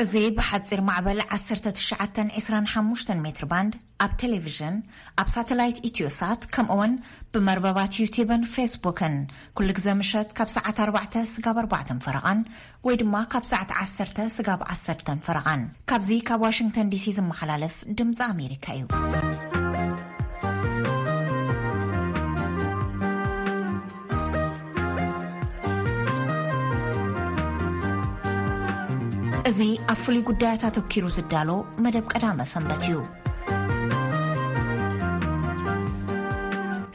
እዚ ብሓጺር ማዕበል ዓሰርተ ትሽዓተ ዕስራን ሓሙሽተን ሜትር ባንድ ኣብ ቴሌቪዥን፣ ኣብ ሳተላይት ኢትዮሳት፣ ከምኡውን ብመርበባት ዩቲብን ፌስቡክን ኩሉ ግዜ ምሸት ካብ ሰዓት ኣርባዕተ ስጋብ ኣርባዕተን ፈረቓን ወይ ድማ ካብ ሰዓት ዓሰርተ ስጋብ ዓሰርተን ፈረቓን ካብዚ ካብ ዋሽንግተን ዲሲ ዝመሓላለፍ ድምፂ ኣሜሪካ እዩ። እዚ ኣብ ፍሉይ ጉዳያት ኣተኪሩ ዝዳሎ መደብ ቀዳመ ሰንበት እዩ።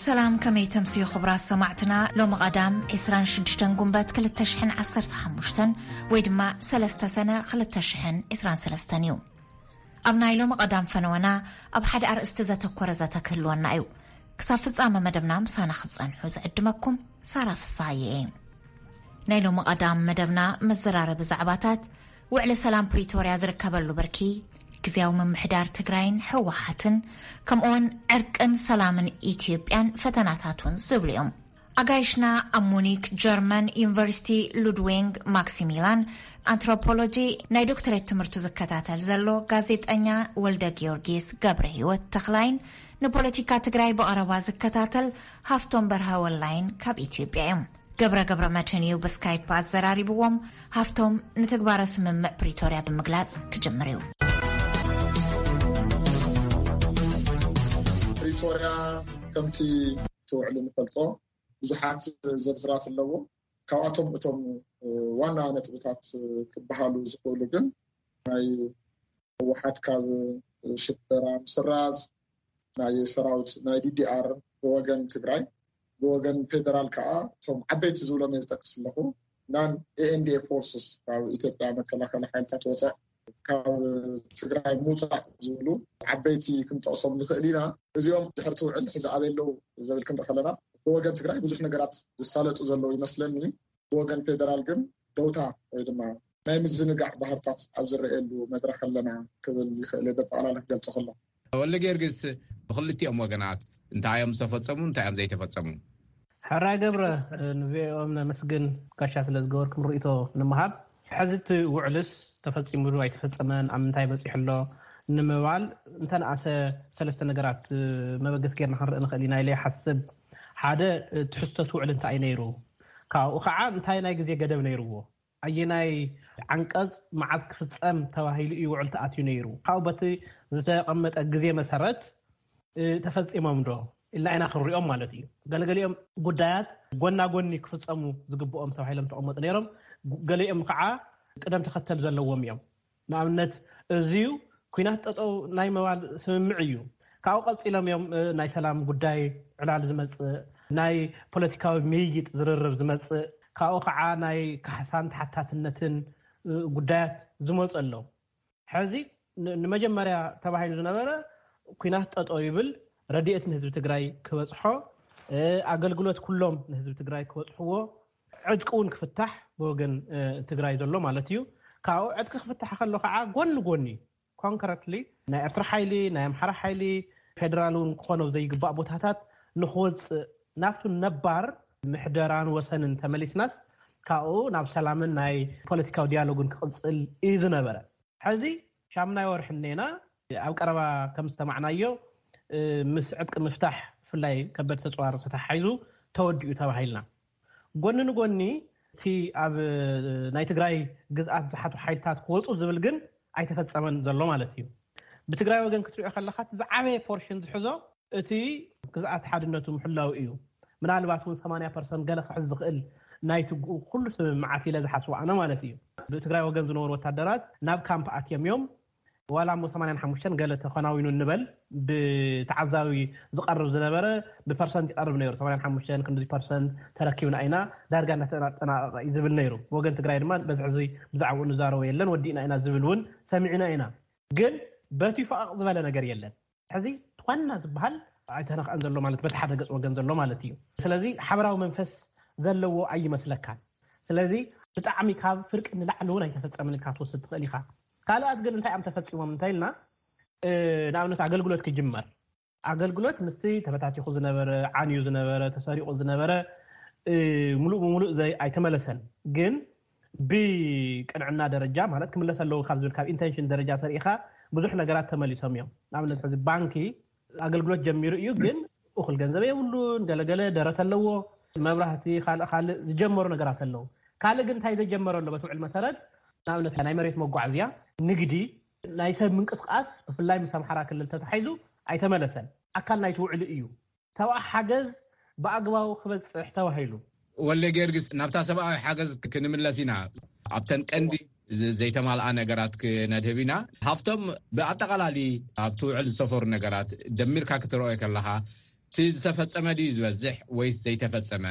ሰላም፣ ከመይ ተምስዩ ክቡራት ሰማዕትና? ሎሚ ቀዳም ዕስራን ሽዱሽተን ጉንበት ክልተ ሽሕን ዓሰርተ ሓሙሽተን ወይ ድማ ሰለስተ ሰነ ክልተ ሽሕን ዕስራን ሰለስተን እዩ። ኣብ ናይ ሎሚ ቀዳም ፈነወና ኣብ ሓደ ኣርእስቲ ዘተኮረ ዘተ ክህልወና እዩ። ክሳብ ፍጻመ መደብና ምሳና ክትጸንሑ ዝዕድመኩም ሳራ ፍስሃየ እየ። ናይ ሎሚ ቀዳም መደብና መዘራረቢ ዛዕባታት፣ ውዕሊ ሰላም ፕሪቶርያ ዝርከበሉ ብርኪ፣ ግዝያዊ ምምሕዳር ትግራይን ህወሓትን፣ ከምኡውን ዕርቅን ሰላምን ኢትዮጵያን ፈተናታቱን ዝብሉ እዮም። ኣጋይሽና ኣብ ሙኒክ ጀርመን ዩኒቨርሲቲ ሉድዊንግ ማክሲሚላን ኣንትሮፖሎጂ ናይ ዶክተሬት ትምህርቱ ዝከታተል ዘሎ ጋዜጠኛ ወልደ ጊዮርጊስ ገብረ ህይወት ተኽላይን ንፖለቲካ ትግራይ ብቐረባ ዝከታተል ሃፍቶም በርሀ ወላይን ካብ ኢትዮጵያ እዮም። ገብረ ገብረ መድህን እዩ ብስካይፕ ኣዘራሪብዎም። ሃፍቶም ንትግባረ ስምምዕ ፕሪቶርያ ብምግላጽ ክጅምር እዩ። ፕሪቶርያ ከምቲ እቲ ውዕሊ ንፈልጦ ብዙሓት ዝርዝራት ኣለዎ። ካብኣቶም እቶም ዋና ነጥብታት ክበሃሉ ዝኽእሉ ግን ናይ ህወሓት ካብ ሽበራ ምስራዝ፣ ናይ ሰራዊት ናይ ዲዲኣር ብወገን ትግራይ፣ ብወገን ፌደራል ከዓ እቶም ዓበይቲ ዝብሎም እየ ዝጠቅስ ኣለኹ። ናን ኤኤንዲኤ ፎርስስ ካብ ኢትዮጵያ መከላኸሊ ሓይልታት ወፃእ ካብ ትግራይ ምውፃእ ዝብሉ ዓበይቲ ክንጠቕሶም ንኽእል ኢና። እዚኦም ድሕርቲ ውዕል ሕዚ ኣበይ ኣለዉ ዘብል ክንርኢ ከለና ብወገን ትግራይ ብዙሕ ነገራት ዝሳለጡ ዘለዉ ይመስለኒ። ብወገን ፌደራል ግን ደውታ ወይ ድማ ናይ ምዝንጋዕ ባህርታት ኣብ ዝረኣየሉ መድረኽ ኣለና ክብል ይኽእል እየ፣ በጠቕላላ ክገልጾ ከሎ። ወልደ ጊዮርጊስ፣ ብኽልቲኦም ወገናት እንታይ እዮም ዝተፈጸሙ፣ እንታይ እዮም ዘይተፈጸሙ? ሕራይ ገብረ፣ ንቪኦኤም ነመስግን፣ ጋሻ ስለ ዝገበርኩም ርእይቶ ንምሃብ። ሕዚ እቲ ውዕልስ ተፈጺሙ ዶ ኣይተፈጸመን፣ ኣብ ምንታይ በጺሑ ኣሎ ንምባል እንተንኣሰ ሰለስተ ነገራት መበገሲ ጌርና ክንርኢ ንኽእል ኢና ኢለ ይሓስብ። ሓደ፣ ትሕዝቶ እቲ ውዕል እንታይ እዩ ነይሩ? ካብኡ ከዓ እንታይ ናይ ግዜ ገደብ ነይርዎ? ኣየናይ ዓንቀጽ መዓዝ ክፍጸም ተባሂሉ እዩ ውዕል ተኣትዩ ነይሩ? ካብኡ በቲ ዝተቐመጠ ግዜ መሰረት፣ እ፣ ተፈጺሞም ዶ ኢልና ኢና ክንሪኦም ማለት እዩ። ገለገሊኦም ጉዳያት ጎና ጎኒ ክፍጸሙ ዝግብኦም ተባሂሎም ተቐመጡ ነይሮም። ገሊኦም ከዓ ቅደም ተኸተል ዘለዎም እዮም። ንኣብነት፣ እዚዩ ኲናት ጠጠው ናይ ምባል ስምምዕ እዩ። ካብኡ ቀጺሎም እዮም፣ እ፣ ናይ ሰላም ጉዳይ ዕላል ዝመጽእ፣ ናይ ፖለቲካዊ ምይይጥ ዝርርብ ዝመጽእ፣ ካብኡ ከዓ ናይ ካሕሳን ተሓታትነትን፣ እ፣ ጉዳያት ዝመጹ ኣለዉ። ሕዚ ን-፣ ንመጀመርያ ተባሂሉ ዝነበረ ኲናት ጠጠው ይብል፣ ረድኤት ንህዝቢ ትግራይ ክበጽሖ፣ እ፣ ኣገልግሎት ኩሎም ንህዝቢ ትግራይ ክበጽሕዎ፣ ዕጥቂ እውን ክፍታሕ ብወገን፣ እ፣ ትግራይ ዘሎ ማለት እዩ። ካብኡ ዕጥቂ ክፍታሕ ከሎ ከዓ ጎኒ ጎኒ ኮንክረትሊ ናይ ኤርትራ ሓይሊ፣ ናይ ኣምሓራ ሓይሊ፣ ፌደራል እውን ክኾኖ ዘይግባእ ቦታታት ንክወፅእ ናብቱ ነባር ምሕደራን ወሰንን ተመሊስናስ ካብኡ ናብ ሰላምን ናይ ፖለቲካዊ ዲያሎግን ክቕፅል እዩ ዝነበረ። ሕዚ ሻምናይ ወርሒ እኔና ኣብ ቀረባ ከም ዝሰማዕናዮ፣ እ፣ ምስ ዕጥቂ ምፍታሕ ብፍላይ ከበድ ተፅዋር ተተሓሒዙ ተወዲኡ ተባሂልና። ጎኒ ንጎኒ እቲ ኣብ ናይ ትግራይ ግዝኣት ዝሓቱ ሓይልታት ክወፁ ዝብል ግን ኣይተፈፀመን ዘሎ ማለት እዩ። ብትግራይ ወገን ክትሪኦ ከለካ እቲ ዝዓበየ ፖርሽን ዝሕዞ እቲ ግዝኣት ሓድነቱ ምሕላው እዩ። ምናልባት እውን ሰማንያ ፐርሰንት ገለ ክሕዝ ዝኽእል ናይቲ ግ-፣ ኩሉ ስምምዓት ኢለ ዝሓስቦ ኣነ ማለት እዩ። ብትግራይ ወገን ዝነበሩ ወታደራት ናብ ካምፕ ኣትዮም እዮም። ዋላ እሞ ሰማንያን ሓሙሽተን ገለ ተኸናዊኑ እንበል፣ ብተዓዛቢ ዝቐርብ ዝነበረ ብፐርሰንት ይቐርብ ነይሩ። ሰማንያን ሓሙሽተን ክንዲ ፐርሰንት ተረኪብና ኢና፣ ዳርጋ እናተጠናቀቐ እዩ ዝብል ነይሩ። ወገን ትግራይ ድማ በዚ ሕዚ ብዛዕባኡ ንዛረቦ የለን፣ ወዲእና ኢና ዝብል እውን ሰሚዕና ኢና። ግን በቲ ፈቐቕ ዝበለ ነገር የለን። ሕዚ ዋና ዝበሃል ኣይተነኽአን ዘሎ ማለት በቲ ሓደ ገፅ ወገን ዘሎ ማለት እዩ። ስለዚ ሓበራዊ መንፈስ ዘለዎ ኣይመስለካን። ስለዚ ብጣዕሚ ካብ ፍርቂ ንላዕሊ እውን ኣይተፈፀምን ኢልካ ክትወስድ ትኽእል ኢኻ። ካልኣት ግን እንታይ እዮም ተፈፂሞም እንተኢልና፣ እ፣ ንኣብነት ኣገልግሎት ክጅመር፣ ኣገልግሎት ምስቲ ተበታቲኹ ዝነበረ፣ ዓንዩ ዝነበረ፣ ተሰሪቑ ዝነበረ፣ እ፣ ሙሉእ ብሙሉእ ዘይ-፣ ኣይተመለሰን። ግን ብቅንዕና ደረጃ ማለት ክምለስ ኣለዎ ካብ ዝብል ካብ ኢንተንሽን ደረጃ ተሪኢኻ ብዙሕ ነገራት ተመሊሶም እዮም። ንኣብነት ሕዚ ባንኪ ኣገልግሎት ጀሚሩ እዩ፣ ግን እኹል ገንዘብ የብሉን፣ ገለገለ ደረት ኣለዎ፣ መብራህቲ፣ ካልእ ካልእ ዝጀመሩ ነገራት ኣለዉ። ካልእ ግን እንታይ ዘጀመረ ኣሎ? በቲ ውዕል መሰረት ንኣብነት ናይ መሬት መጓዓዝያ፣ ንግዲ፣ ናይ ሰብ ምንቅስቃስ ብፍላይ ምስ ኣምሓራ ክልል ተታሒዙ ኣይተመለሰን። ኣካል ናይቲ ውዕል እዩ። ሰብኣዊ ሓገዝ ብኣግባቡ ክበፅሕ ተባሂሉ። ወልደ ጊዮርጊስ፣ ናብታ ሰብኣዊ ሓገዝ ክንምለስ ኢና። ኣብተን ቀንዲ ዘይተማልኣ ነገራት ክነድህብ ኢና። ሃፍቶም፣ ብኣጠቓላሊ ኣብቲ ውዕል ዝሰፈሩ ነገራት ደሚርካ ክትረኦ ከለኻ እቲ ዝተፈጸመ ድዩ ዝበዝሕ ወይስ ዘይተፈጸመ?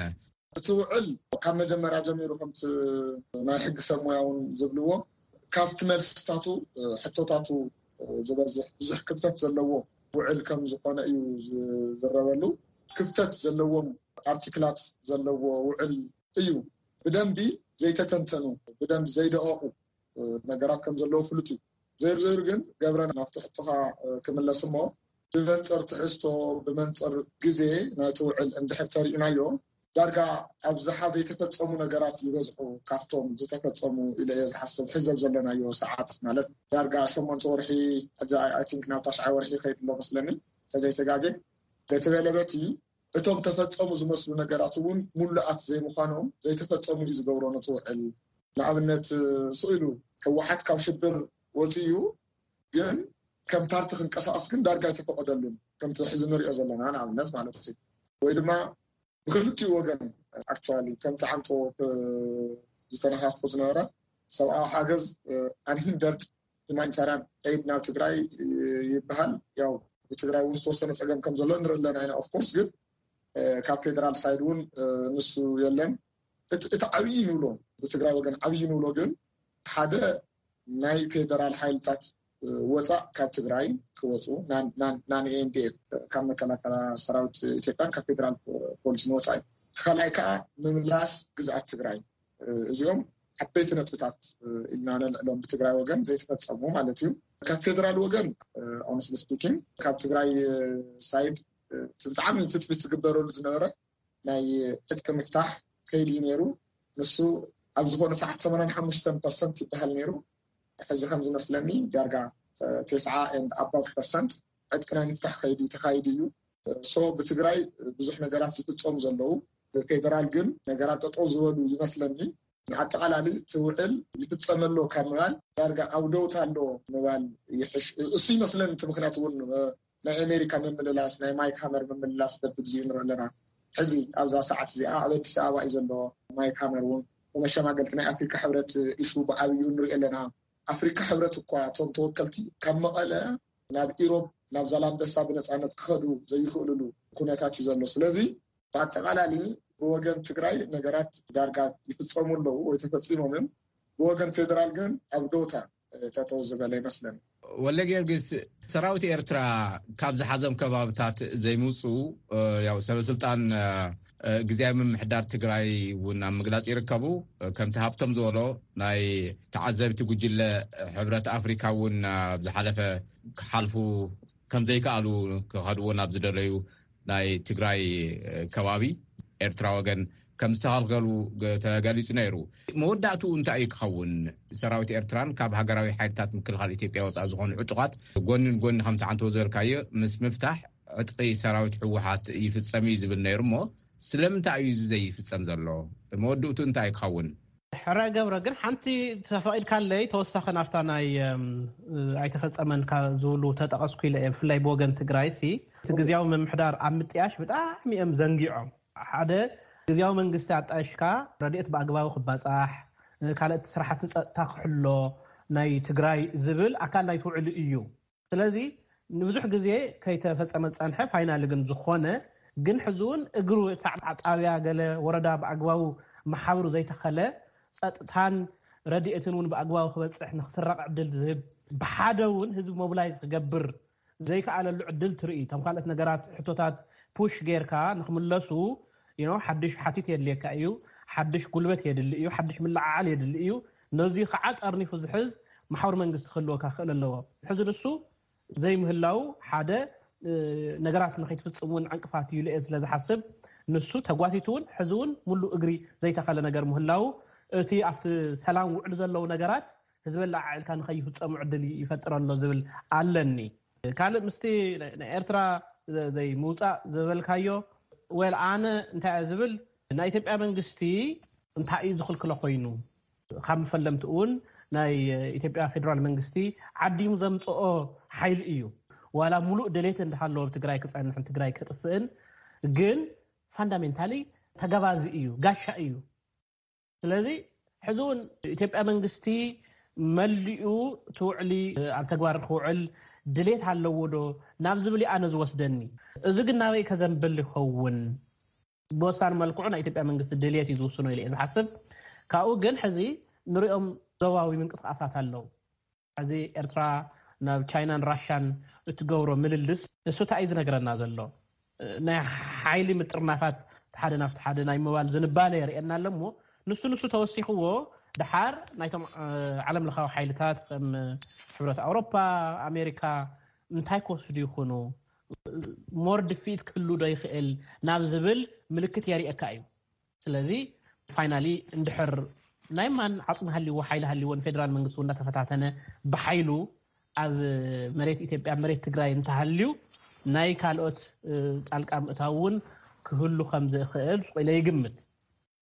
እቲ ውዕል ካብ መጀመርያ ጀሚሩ ከምቲ ናይ ሕጊ ሰብ ሞያ እውን ዝብልዎ ካብቲ መልስታቱ ሕቶታቱ ዝበዝሕ ብዙሕ ክፍተት ዘለዎ ውዕል ከም ዝኾነ እዩ ዝረበሉ። ክፍተት ዘለዎም ኣርቲክላት ዘለዎ ውዕል እዩ። ብደንቢ ዘይተተንተኑ፣ ብደንቢ ዘይደቐቑ ነገራት ከም ዘለዎ ፍሉጥ እዩ። ዘይርዘይሩ ግን ገብረ ናብቲ ሕቶኻ ክምለስ እሞ ብመንፅር ትሕዝቶ ብመንፅር ግዜ ናይቲ ውዕል እንድሕር ተሪእናዮ ዳርጋ ኣብዝሓ ዘይተፈፀሙ ነገራት ይበዝሑ ካብቶም ዝተፈፀሙ ኢለ እየ ዝሓስብ። ሕዘብ ዘለናዮ ሰዓት ማለት ዳርጋ ሸሞንተ ወርሒ ሕዚ ኣይ ቲንክ ናብ ታሽዓይ ወርሒ ይኸይድ ኣሎ መስለኒ ተዘይተጋጌ። በቲ በለበቲ እቶም ተፈፀሙ ዝመስሉ ነገራት እውን ሙሉኣት ዘይምዃኖም ዘይተፈፀሙ እዩ ዝገብሮ ነቲ ውዕል። ንኣብነት ስኢሉ ህወሓት ካብ ሽብር ወፂኡ ግን ከም ፓርቲ ክንቀሳቀስ ግን ዳርጋ ኣይተፈቀደሉን ከምቲ ሕዚ ንሪኦ ዘለና ንኣብነት ማለት እዩ። ወይ ድማ ብክልቲኡ ወገን ኣክቹዋሊ ከምቲ ዓንቶ ዝተነካክፎ ዝነበረ ሰብኣዊ ሓገዝ ኣንሂንደርድ ሁማኒታርያን ኤድ ናብ ትግራይ ይበሃል። ያው ብትግራይ እውን ዝተወሰነ ፀገም ከም ዘሎ ንርኢ ኣለና ኢና። ኦፍኮርስ ግን ካብ ፌደራል ሳይድ እውን ንሱ የለን። እቲ ዓብዪ ንብሎ ብትግራይ ወገን ዓብዪ ንብሎ ግን ሓደ ናይ ፌደራል ሓይልታት ወፃእ ካብ ትግራይ ክወፁ ናን ኤንዲኤፍ ካብ መከላከላ ሰራዊት ኢትዮጵያን ካብ ፌደራል ፖሊስን ወፃኢ። እቲ ካልኣይ ከዓ ምምላስ ግዝኣት ትግራይ። እዚኦም ዓበይቲ ነጥብታት ኢልና ነልዕሎም ብትግራይ ወገን ዘይተፈፀሙ ማለት እዩ። ካብ ፌደራል ወገን ኦነስትሊ ስፒኪንግ ካብ ትግራይ ሳይድ ብጣዕሚ ትፅቢት ዝግበረሉ ዝነበረ ናይ ዕጥቂ ምፍታሕ ከይዲ እዩ ነይሩ። ንሱ ኣብ ዝኾነ ሰዓት ሰማንያን ሓሙሽተን ፐርሰንት ይበሃል ነይሩ። ሕዚ ከም ዝመስለኒ ዳርጋ ተስዓ and above ፐርሰንት ዕጥቂ ናይ ምፍታሕ ከይዲ ተካይዱ እዩ። ሶ ብትግራይ ብዙሕ ነገራት ዝፍፀሙ ዘለዉ ብፌደራል ግን ነገራት ጠጠው ዝበሉ ይመስለኒ። ንኣጠቓላሊ እቲ ውዕል ይፍፀም ኣሎ ካብ ምባል ዳርጋ ኣብ ደውታ ኣሎ ምባል ይሕሽ። እሱ ይመስለኒ እቲ ምክንያት እውን ናይ ኣሜሪካ ምምልላስ ናይ ማይክ ሃመር ምምልላስ በብግዜኡ ንርኢ ኣለና። ሕዚ ኣብዛ ሰዓት እዚኣ ኣብ ኣዲስ ኣበባ እዩ ዘሎ። ማይክ ሃመር እውን ብመሸማገልቲ ናይ ኣፍሪካ ሕብረት ኢሹ ብዓብዩ ንርኢ ኣለና። ኣፍሪካ ሕብረት እኳ እቶም ተወከልቲ ካብ መቐለ ናብ ኢሮብ ናብ ዛላምበሳ ብነፃነት ክኸዱ ዘይኽእልሉ ኩነታት እዩ ዘሎ። ስለዚ ብኣጠቓላሊ ብወገን ትግራይ ነገራት ዳርጋ ይፍፀሙ ኣለዉ ወይ ተፈፂሞምን ብወገን ፌደራል ግን ኣብ ዶታ ጠጠው ዝበለ ይመስለኒ። ወለ ጊዮርጊስ፣ ሰራዊት ኤርትራ ካብ ዝሓዘም ከባብታት ዘይምውፅኡ ያው ሰበስልጣን ግዜያዊ ምምሕዳር ትግራይ እውን ኣብ ምግላፅ ይርከቡ። ከምቲ ሃብቶም ዝበሎ ናይ ተዓዘብቲ ጉጅለ ሕብረት ኣፍሪካ እውን ኣብ ዝሓለፈ ክሓልፉ ከም ዘይከኣሉ ክኸድዎ ናብ ዝደለዩ ናይ ትግራይ ከባቢ ኤርትራ ወገን ከም ዝተኸልከሉ ተገሊፁ ነይሩ። መወዳእትኡ እንታይ እዩ ክኸውን? ሰራዊት ኤርትራን ካብ ሃገራዊ ሓይልታት ምክልኻል ኢትዮጵያ ወፃኢ ዝኾኑ ዕጡቓት ጎኒ ንጎኒ ከምቲ ዓንተቦ ዝበልካዮ ምስ ምፍታሕ ዕጥቂ ሰራዊት ህወሓት ይፍፀም እዩ ዝብል ነይሩ እሞ ስለምንታይ እዩ እዚ ዘይፍፀም ዘሎ? መወዳእትኡ እንታይ እዩ ክኸውን? ሕረ ገብረ ግን ሓንቲ ተፈቒድካለይ ተወሳኺ ናብታ ናይ ኣይተፈፀመን ዝብሉ ተጠቐስኩ ኢለ እየ። ብፍላይ ብወገን ትግራይ ሲ እቲ ግዜያዊ ምምሕዳር ኣብ ምጥያሽ ብጣዕሚ እዮም ዘንጊዖም። ሓደ ግዜያዊ መንግስቲ ኣጣይሽካ ረድኤት ብኣግባቡ ክባፃሕ ካልኦት ስራሕቲ ፀጥታ ክሕሎ ናይ ትግራይ ዝብል ኣካል ናይቲ ውዕል እዩ። ስለዚ ንብዙሕ ግዜ ከይተፈፀመ ዝፀንሐ ፋይናል ግን ዝኾነ ግን ሕዚ እውን እግሩ ጣብያ ገለ ወረዳ ብኣግባቡ መሓብሩ ዘይተኸለ ፀጥታን ረድኤትን እውን ብኣግባቡ ክበፅሕ ንክስረቕ ዕድል ዝህብ ብሓደ እውን ህዝቢ ሞብላይዝ ክገብር ዘይከኣለሉ ዕድል ትርኢ። እቶም ካልኦት ነገራት ሕቶታት ፑሽ ጌርካ ንክምለሱ ሓድሽ ሓቲት የድልየካ እዩ። ሓድሽ ጉልበት የድሊ እዩ። ሓድሽ ምልዓዓል የድሊ እዩ። ነዚ ከዓ ጠርኒፉ ዝሕዝ መሓውር መንግስቲ ክህልወካ ክእል ኣለዎ። ሕዚ ንሱ ዘይምህላው ሓደ ነገራት ንከይትፍፅም እውን ዕንቅፋት እዩ ኢለ ስለ ዝሓስብ ንሱ ተጓቲቱ እውን ሕዚ እውን ሙሉእ እግሪ ዘይተኸለ ነገር ምህላው እቲ ኣብቲ ሰላም ውዕሉ ዘለዉ ነገራት ህዝቢ ኣላዓዒልካ ንኸይፍጸሙ ዕድል ይፈጥር ኣሎ ዝብል ኣለኒ። ካልእ ምስቲ ናይ ኤርትራ ዘይምውጻእ ዝበልካዮ፣ ወል ኣነ እንታይ እየ ዝብል፣ ናይ ኢትዮጵያ መንግስቲ እንታይ እዩ ዝኽልክሎ ኮይኑ? ካብ መፈለምቲ እውን ናይ ኢትዮጵያ ፌደራል መንግስቲ ዓዲሙ ዘምፅኦ ሓይሊ እዩ። ዋላ ሙሉእ ድሌት እንዳሃለዎ ኣብ ትግራይ ክፀንሕን ትግራይ ከጥፍእን፣ ግን ፋንዳሜንታሊ ተገባዚ እዩ፣ ጋሻ እዩ። ስለዚ ሕዚ እውን ኢትዮጵያ መንግስቲ መሊኡ እቲ ውዕሊ ኣብ ተግባር ክውዕል ድሌት ኣለዎ ዶ ናብ ዝብል እዩ ኣነ ዝወስደኒ። እዚ ግን ናበይ ከዘንብል ይኸውን? ብወሳኒ መልክዑ ናይ ኢትዮጵያ መንግስቲ ድሌት እዩ ዝውስኖ ኢለ እየ ዝሓስብ። ካብኡ ግን ሕዚ ንሪኦም ዞባዊ ምንቅስቃሳት ኣለዉ። ሕዚ ኤርትራ ናብ ቻይናን ራሻን እትገብሮ ምልልስ ንሱ እንታይ እዩ ዝነግረና ዘሎ? ናይ ሓይሊ ምጥርናፋት ሓደ ናብቲ ሓደ ናይ ምባል ዝንባለ የርእየና ኣሎ እሞ፣ ንሱ ንሱ ተወሲኽዎ፣ ድሓር ናይቶም ዓለም ለኻዊ ሓይልታት ከም ሕብረት ኣውሮፓ፣ ኣሜሪካ እንታይ ክወስዱ ይኾኑ? ሞር ድፍኢት ክህሉ ዶ ይኽእል ናብ ዝብል ምልክት የርእየካ እዩ። ስለዚ ፋይናሊ እንድሕር ናይ ማን ዓፅሚ ሃልይዎ ሓይሊ ሃልይዎ ንፌደራል መንግስቲ እውን እንዳተፈታተነ ብሓይሉ ኣብ መሬት ኢትዮጵያ መሬት ትግራይ እንተሃልዩ ናይ ካልኦት ጣልቃ ምእታው እውን ክህሉ ከም ዝኽእል ኢለ ይግምት።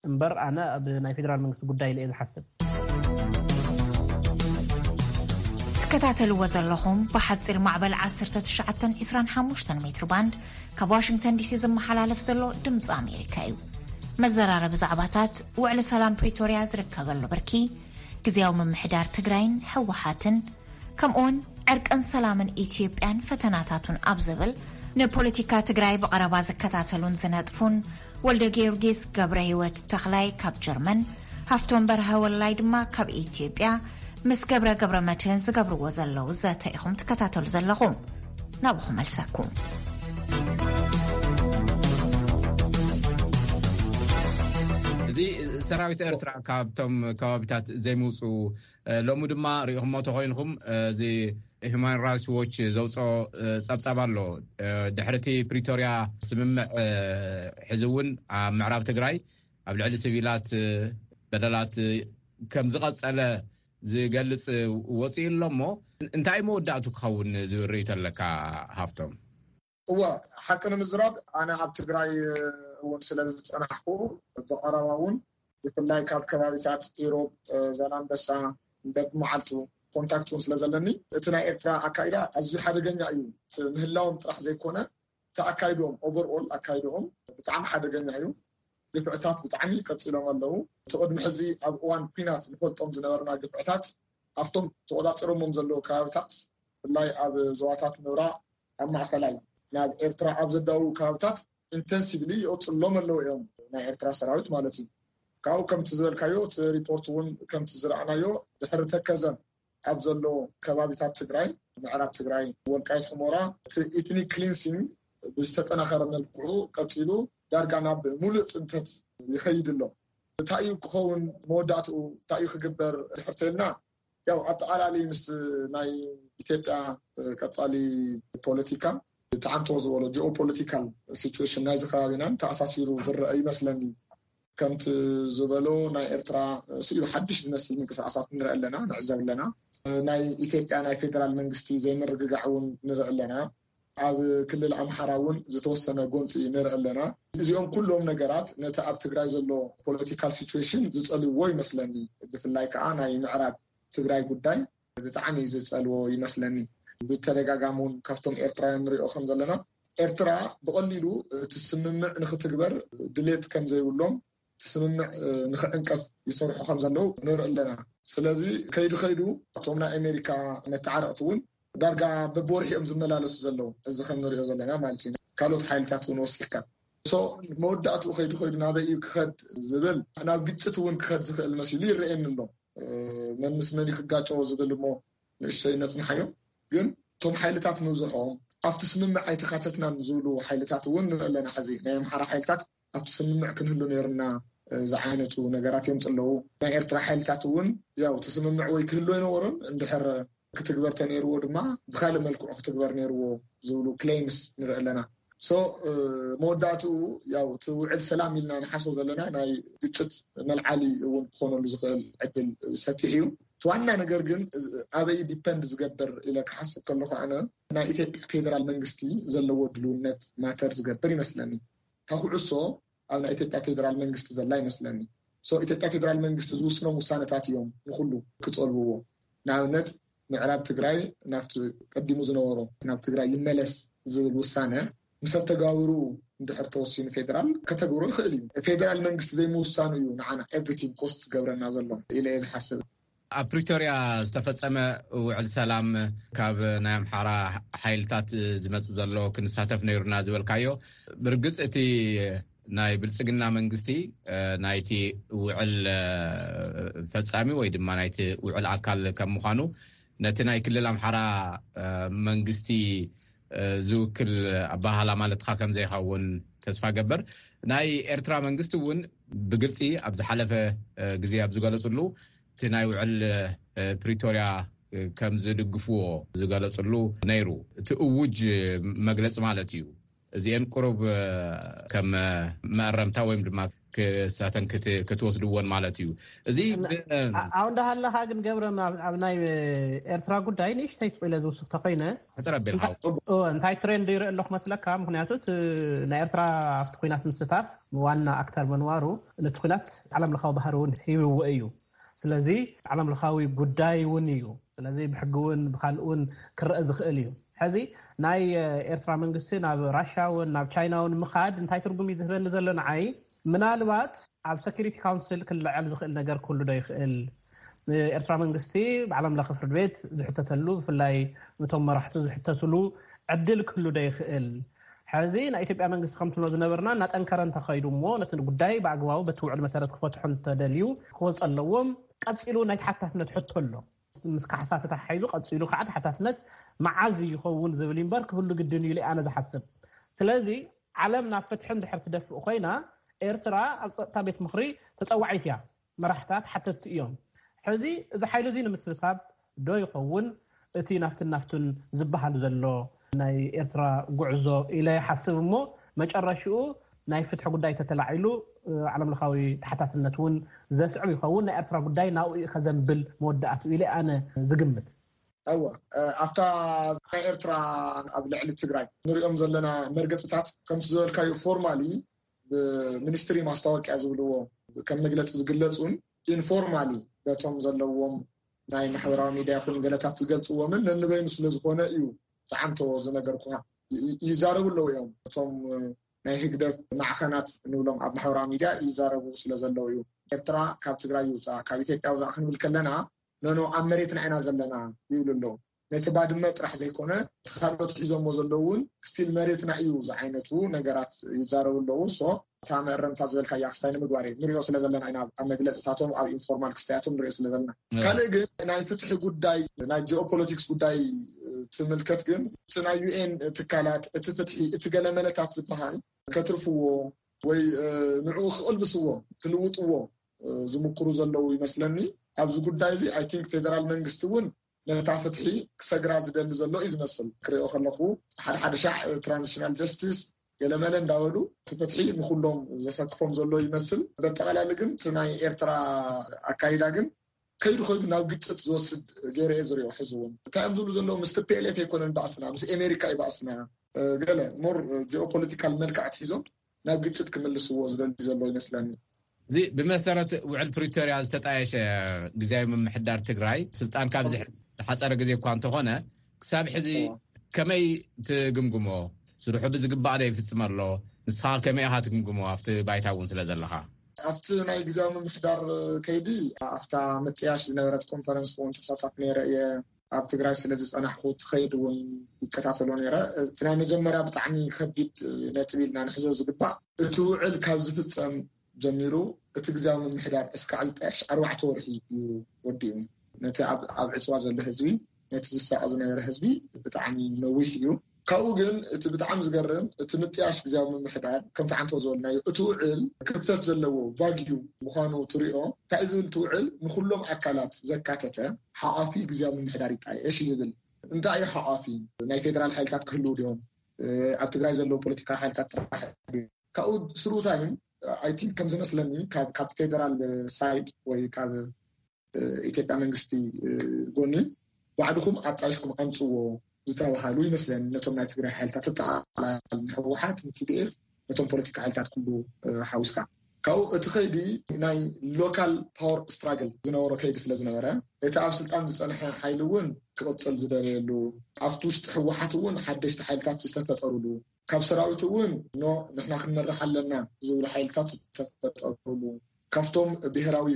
እምበር ኣነ ኣብ ናይ ፌደራል መንግስቲ ጉዳይ ኢለ እየ ዝሓስብ። ትከታተልዎ ዘለኹም ብሓፂር ማዕበል ዓሰርተ ትሽዓተ ዕስራን ሓሙሽተን ሜትር ባንድ ካብ ዋሽንግተን ዲሲ ዝመሓላለፍ ዘሎ ድምፂ ኣሜሪካ እዩ። መዘራረቢ ዛዕባታት፣ ውዕሊ ሰላም ፕሪቶርያ ዝርከበሉ ብርኪ፣ ግዝያዊ ምምሕዳር ትግራይን ህወሓትን፣ ከምኡ እውን ዕርቅን ሰላምን ኢትዮጵያን ፈተናታቱን ኣብ ዝብል፣ ንፖለቲካ ትግራይ ብቐረባ ዝከታተሉን ዝነጥፉን ወልደ ጊዮርጊስ ገብረ ህይወት ተኽላይ ካብ ጀርመን፣ ሃፍቶም በርሀ ወላይ ድማ ካብ ኢትዮጵያ ምስ ገብረ ገብረ መድህን ዝገብርዎ ዘለዉ ዘተ ኢኹም ትከታተሉ ዘለኹም። ናብኹም መልሰኩም። እዚ ሰራዊት ኤርትራ ካብቶም ከባቢታት ዘይምውፁ፣ ሎሚ ድማ ሪኢኹሞ ተኮይንኩም፣ እዚ ሂማን ራይትስ ዎች ዘውፅኦ ፀብፃብ ኣሎ። ድሕርቲ ፕሪቶርያ ስምምዕ፣ ሕዚ እውን ኣብ ምዕራብ ትግራይ ኣብ ልዕሊ ሲቪላት በደላት ከም ዝቐፀለ ዝገልፅ ወፂኡ ኣሎ እሞ፣ እንታይ መወዳእቱ ክኸውን ዝብል ርእይቶ ኣለካ ሃፍቶም? እወ፣ ሓቂ ንምዝራብ ኣነ ኣብ ትግራይ እውን ስለ ዝፀናሕኩ፣ ብቐረባ እውን ብፍላይ ካብ ከባቢታት ኢሮብ፣ ዛላንበሳ፣ በብመዓልቱ ኮንታክት እውን ስለ ዘለኒ፣ እቲ ናይ ኤርትራ ኣካይዳ ኣዝዩ ሓደገኛ እዩ። እቲ ምህላዎም ጥራሕ ዘይኮነ፣ እቲ ኣካይድኦም፣ ኦቨርኦል ኣካይድኦም ብጣዕሚ ሓደገኛ እዩ። ግፍዕታት ብጣዕሚ ቀፂሎም ኣለዉ። እቲ ቅድሚ ሕዚ ኣብ እዋን ኲናት ንፈልጦም ዝነበርና ግፍዕታት ኣብቶም ተቆፃፂሮሞም ዘለዉ ከባቢታት፣ ብፍላይ ኣብ ዞባታት ምብራቕ፣ ኣብ ማእኸላይ፣ ናብ ኤርትራ ኣብ ዘዳውቡ ከባቢታት ኢንተንሲቭሊ ይቕፅሎም ኣለዉ እዮም፣ ናይ ኤርትራ ሰራዊት ማለት እዩ። ካብኡ ከምቲ ዝበልካዮ፣ እቲ ሪፖርት እውን ከምቲ ዝረኣናዮ፣ ድሕሪ ተከዘን ኣብ ዘሎ ከባቢታት ትግራይ፣ ምዕራብ ትግራይ፣ ወልቃይት፣ ሑመራ፣ እቲ ኢትኒክ ክሊንሲንግ ብዝተጠናኸረ መልክዑ ቀፂሉ ዳርጋ ናብ ሙሉእ ፅንተት ይኸይድ ኣሎ። እንታይ እዩ ክኸውን መወዳእትኡ፣ እንታይ እዩ ክግበር ድሕር ተልና፣ ያው ኣጠቓላሊ ምስ ናይ ኢትዮጵያ ቀፃሊ ፖለቲካ፣ እቲ ዓንቶ ዝበሎ ጂኦፖለቲካል ሲቹዌሽን ናይዚ ከባቢናን ተኣሳሲሩ ዝረአ ይመስለኒ። ከምቲ ዝበሎ፣ ናይ ኤርትራ ስኢሉ ሓድሽ ዝመስል ምንቅስቃሳት ንርኢ ኣለና፣ ንዕዘብ ኣለና። ናይ ኢትዮጵያ ናይ ፌደራል መንግስቲ ዘይምርግጋዕ እውን ንርኢ ኣለና። ኣብ ክልል ኣምሓራ እውን ዝተወሰነ ጎንፂ ንርኢ ኣለና። እዚኦም ኩሎም ነገራት ነቲ ኣብ ትግራይ ዘሎ ፖለቲካል ሲቹዌሽን ዝፀልውዎ ይመስለኒ። ብፍላይ ከዓ ናይ ምዕራብ ትግራይ ጉዳይ ብጣዕሚ ዝፀልዎ ይመስለኒ። ብተደጋጋሚ እውን ካብቶም ኤርትራውያን ንሪኦ ከም ዘለና፣ ኤርትራ ብቐሊሉ እቲ ስምምዕ ንክትግበር ድሌት ከም ዘይብሎም፣ እቲ ስምምዕ ንክዕንቀፍ ይሰርሑ ከም ዘለዉ ንርኢ ኣለና። ስለዚ ከይዱ ከይዱ እቶም ናይ ኣሜሪካ መተዓረቕቲ እውን ዳርጋ በብወርሒ እዮም ዝመላለሱ ዘለዉ፣ እዚ ከም ንሪኦ ዘለና ማለት እዩ። ካልኦት ሓይልታት እውን ወሲኽካ። ሶ መወዳእትኡ ከይዱ ከይዱ ናበይ እዩ ክኸድ ዝብል፣ ናብ ግጭት እውን ክኸድ ዝኽእል መሲሉ ይረኣየኒ ኣሎ። መን ምስ መን እዩ ክጋጨዎ ዝብል እሞ ንእሽተይ ነፅንሓዮ። ግን እቶም ሓይልታት ምብዝሖም ኣብቲ ስምምዕ ኣይተካተትናን ዝብሉ ሓይልታት እውን ንርኢ ኣለና። ሕዚ ናይ ኣምሓራ ሓይልታት ኣብቲ ስምምዕ ክንህሉ ነይርና ዝዓይነቱ ነገራት የምፅእ ኣለዉ። ናይ ኤርትራ ሓይልታት እውን ያው እቲ ስምምዕ ወይ ክህሉ ኣይነበሮን፣ እንድሕር ክትግበር ተነይርዎ ድማ ብካልእ መልክዑ ክትግበር ነይርዎ ዝብሉ ክሌምስ ንርኢ ኣለና። So መወዳእትኡ ያው እቲ ውዕል ሰላም ኢልና ንሓስቦ ዘለና ናይ ግጭት መልዓሊ እውን ክኾነሉ ዝኽእል ዕድል ሰፊሕ እዩ። እቲ ዋና ነገር ግን ኣበይ ዲፐንድ ዝገብር ኢለ ክሓስብ ከለኹ ኣነ ናይ ኢትዮጵያ ፌደራል መንግስቲ ዘለዎ ድልውነት ማተር ዝገብር ይመስለኒ። እታ ኩዕሶ ኣብ ናይ ኢትዮጵያ ፌደራል መንግስቲ ዘላ ይመስለኒ። So ኢትዮጵያ ፌደራል መንግስቲ ዝውስኖም ውሳነታት እዮም ንኩሉ ክፀልውዎ። ንኣብነት ምዕራብ ትግራይ ናብቲ ቀዲሙ ዝነበሮ ናብ ትግራይ ይመለስ ዝብል ውሳነ ምስ ኣተጋብሩ እንድሕር ተወሲኑ ፌደራል ከተግብሮ ይኽእል እዩ። ፌደራል መንግስቲ ዘይምውሳኑ እዩ ንዓና ኤቭሪቲንግ ኮስት ዝገብረና ዘሎ ኢለ እየ ዝሓስብ። ኣብ ፕሪቶርያ ዝተፈጸመ ውዕል ሰላም ካብ ናይ ኣምሓራ ሓይልታት ዝመጽእ ዘሎ ክንሳተፍ ነይሩና ዝበልካዮ፣ ብርግጽ እቲ ናይ ብልጽግና መንግስቲ ናይቲ ውዕል ፈጻሚ ወይ ድማ ናይቲ ውዕል ኣካል ከም ምዃኑ ነቲ ናይ ክልል ኣምሓራ መንግስቲ ዝውክል ኣባሃላ ማለትካ ከም ዘይኸውን ተስፋ ገብር። ናይ ኤርትራ መንግስቲ እውን ብግልፂ ኣብ ዝሓለፈ ግዜ ኣብ ዝገለፅሉ እቲ ናይ ውዕል ፕሪቶርያ ከም ዝድግፍዎ ዝገለፅሉ ነይሩ። እቲ እውጅ መግለፂ ማለት እዩ። እዚአን ቁሩብ ከም መእረምታ ወይም ድማ ክሳተን ክትወስድዎን ማለት እዩ። እዚ ኣብ እንዳሃለካ ግን ገብረ ኣብ ናይ ኤርትራ ጉዳይ ንእሽተይ ስቁኢለ ዝውስክ ተኮይነ ሕፅር ኣቢልካ እንታይ ትሬንድ ይርኢ ኣለኩ መስለካ? ምክንያቱ ናይ ኤርትራ ኣብቲ ኩናት ምስታፍ ዋና ኣክተር ምንባሩ ነቲ ኩናት ዓለም ለካዊ ባህሪ እውን ሂብዎ እዩ። ስለዚ ዓለም ለካዊ ጉዳይ እውን እዩ። ስለዚ ብሕጊ እውን ብካልእ እውን ክረአ ዝኽእል እዩ። ሕዚ ናይ ኤርትራ መንግስቲ ናብ ራሻ እውን ናብ ቻይና እውን ምኻድ እንታይ ትርጉም እዩ ዝህበኒ ዘሎ ንዓይ? ምናልባት ኣብ ሰኪሪቲ ካውንስል ክልዓል ዝኽእል ነገር ክህሉ ዶ ይኽእል? ኤርትራ መንግስቲ ብዓለም ለኸ ፍርድ ቤት ዝሕተተሉ ብፍላይ እቶም መራሕቱ ዝሕተትሉ ዕድል ክህሉ ዶ ይኽእል? ሕዚ ናይ ኢትዮጵያ መንግስቲ ከምትብሎ ዝነበርና እናጠንከረ እንተኸይዱ እሞ ነቲ ጉዳይ ብኣግባቡ በቲ ውዕል መሰረት ክፈትሑ እንተደልዩ ክወፅ ኣለዎም። ቀፂሉ ናይ ተሓታትነት ሕቶ ኣሎ። ምስ ካሕሳ ተተሓሒዙ ቀፂሉ ከዓ ተሓታትነት መዓዝ ይኸውን ዝብል እምበር ክህሉ ግድን እዩ ኢለ ኣነ ዝሓስብ። ስለዚ ዓለም ናብ ፍትሒ እንድሕር ትደፍእ ኮይና ኤርትራ ኣብ ፀጥታ ቤት ምኽሪ ተፀዋዒት እያ። መራሕታት ሓተትቲ እዮም። ሕዚ እዚ ሓይሊ እዚ ንምስብሳብ ዶ ይኸውን እቲ ናፍትን ናፍቱን ዝበሃል ዘሎ ናይ ኤርትራ ጉዕዞ ኢለ ይሓስብ እሞ መጨረሽኡ ናይ ፍትሒ ጉዳይ ተተላዒሉ ዓለም ለኻዊ ተሓታትነት እውን ዘስዕብ ይኸውን። ናይ ኤርትራ ጉዳይ ናብኡ እዩ ከዘንብል መወዳእትኡ ኢለ ኣነ ዝግምት። እወ ኣብታ ናይ ኤርትራ ኣብ ልዕሊ ትግራይ ንሪኦም ዘለና መርገፅታት ከምቲ ዝበልካዩ ፎርማሊ ብሚኒስትሪ ማስታወቂያ ዝብልዎ ከም መግለፂ ዝግለፁን ኢንፎርማሊ በቶም ዘለዎም ናይ ማሕበራዊ ሚድያ ይኹን ገለታት ዝገልፅዎምን ነንበይኑ ስለዝኾነ እዩ ዝዓንተዎ ዝነገርኩኻ። ይዛረቡ ኣለዉ እዮም እቶም ናይ ህግደፍ ማዕኸናት ንብሎም ኣብ ማሕበራዊ ሚድያ ይዛረቡ ስለዘለዉ እዩ። ኤርትራ ካብ ትግራይ ይውፃእ ካብ ኢትዮጵያ ውፃእ ክንብል ከለና ኖኖ ኣብ መሬትና ኢና ዘለና ይብሉ ኣለዉ። ነቲ ባድመ ጥራሕ ዘይኮነ እቲ ካልኦት ሒዞሞ ዘለዉ እውን ስቲል መሬትና እዩ ዝዓይነቱ ነገራት ይዛረቡ ኣለዉ። ሶ እታ መእረምታ ዝበልካያ ክስታይ ንምግባር እዩ ንሪኦ ስለ ዘለና ኢና ኣብ መግለፅታቶም ኣብ ኢንፎርማል ክስታያቶም ንሪኦ ስለ ዘለና። ካልእ ግን ናይ ፍትሒ ጉዳይ ናይ ጂኦፖለቲክስ ጉዳይ ትምልከት ግን እቲ ናይ ዩኤን ትካላት እቲ ፍትሒ እቲ ገለመለታት ዝበሃል ከትርፍዎ ወይ ንዕኡ ክቕልብስዎ ክልውጥዎ ዝምክሩ ዘለዉ ይመስለኒ። ኣብዚ ጉዳይ እዚ ኣይ ቲንክ ፌደራል መንግስቲ እውን ነታ ፍትሒ ክሰግራ ዝደሊ ዘሎ እዩ ዝመስል። ክሪኦ ከለኹ ሓደ ሓደ ሻዕ ትራንዚሽናል ጀስቲስ ገለመለ እንዳበሉ እቲ ፍትሒ ንኩሎም ዘሰክፎም ዘሎ ይመስል። በጠቓላሊ ግን እቲ ናይ ኤርትራ ኣካይዳ ግን ከይዱ ከይዱ ናብ ግጭት ዝወስድ ገይረ እየ ዝሪኦ። ሕዚ እውን እንታይ እዮም ዝብሉ ዘለዉ ምስ ቲ ፒ ኤል ኤፍ ኣይኮነን ባእስና ምስ ኤሜሪካ እዩ ባእስና። ገለ ሞር ጂኦፖለቲካል መልክዕ ኣትሒዞም ናብ ግጭት ክምልስዎ ዝደልዩ ዘለዉ ይመስለኒ። እዚ ብመሰረት ውዕል ፕሪቶርያ ዝተጣየሸ ግዜያዊ ምምሕዳር ትግራይ ስልጣን ካብ ዝሓፀረ ግዜ እኳ እንተኾነ ክሳብ ሕዚ ከመይ ትግምግሞ? ስርሑ ብዝግባእ ዶ ይፍፅም ኣሎ? ንስኻ ከመይ ኢኻ ትግምግሞ ኣብቲ ባይታ እውን ስለ ዘለኻ? ኣብቲ ናይ ግዜያዊ ምምሕዳር ከይዲ ኣብታ ምጥያሽ ዝነበረት ኮንፈረንስ እውን ተሳታፍ ነይረ እየ። ኣብ ትግራይ ስለ ዝፀናሕኩ እቲ ከይዲ እውን ይከታተሎ ነይረ። እቲ ናይ መጀመርያ ብጣዕሚ ከቢድ ነጥቢ ኢልና ንሕዞ ዝግባእ እቲ ውዕል ካብ ዝፍፀም ጀሚሩ እቲ ግዜያዊ ምምሕዳር እስካዕ ዝጣየሽ ኣርባዕተ ወርሒ እዩ ወዲኡ። ነቲ ኣብ ዕፅዋ ዘሎ ህዝቢ ነቲ ዝሳቐ ዝነበረ ህዝቢ ብጣዕሚ ነዊሕ እዩ። ካብኡ ግን እቲ ብጣዕሚ ዝገርም እቲ ምጥያሽ ግዜያዊ ምምሕዳር ከምቲ ዓንቶ ዝበልናዮ እቲ ውዕል ክፍተት ዘለዎ ቫግዩ ምዃኑ ትሪኦ። እንታይ ዝብል እቲ ውዕል ንኩሎም ኣካላት ዘካተተ ሓቋፊ ግዜያዊ ምምሕዳር ይጣየሽ እዩ ዝብል። እንታይ እዩ ሓቋፊ? ናይ ፌደራል ሓይልታት ክህልው ድዮም? ኣብ ትግራይ ዘለዉ ፖለቲካዊ ሓይልታት ጥራሕ። ካብኡ ስሩታይም ኣይ ቲንክ ከም ዝመስለኒ ካብ ፌደራል ሳይድ ወይ ካብ ኢትዮጵያ መንግስቲ ጎኒ ባዕድኹም ኣጣይሽኩም ኣምፅዎ ዝተባሃሉ ይመስለኒ። ነቶም ናይ ትግራይ ሓይልታት ተጠቃላል ንህወሓት ንቲዲኤፍ ነቶም ፖለቲካ ሓይልታት ኩሉ ሓዊስካ ካብኡ እቲ ከይዲ ናይ ሎካል ፓወር ስትራግል ዝነበሮ ከይዲ ስለ ዝነበረ እቲ ኣብ ስልጣን ዝፀንሐ ሓይሊ እውን ክቕፅል ዝደለየሉ ኣብቲ ውሽጢ ህወሓት እውን ሓደሽቲ ሓይልታት ዝተፈጠሩሉ ካብ ሰራዊት እውን ኖ ንሕና ክንመርሕ ኣለና ዝብሉ ሓይልታት ዝተፈጠሩሉ ካብቶም ብሄራዊ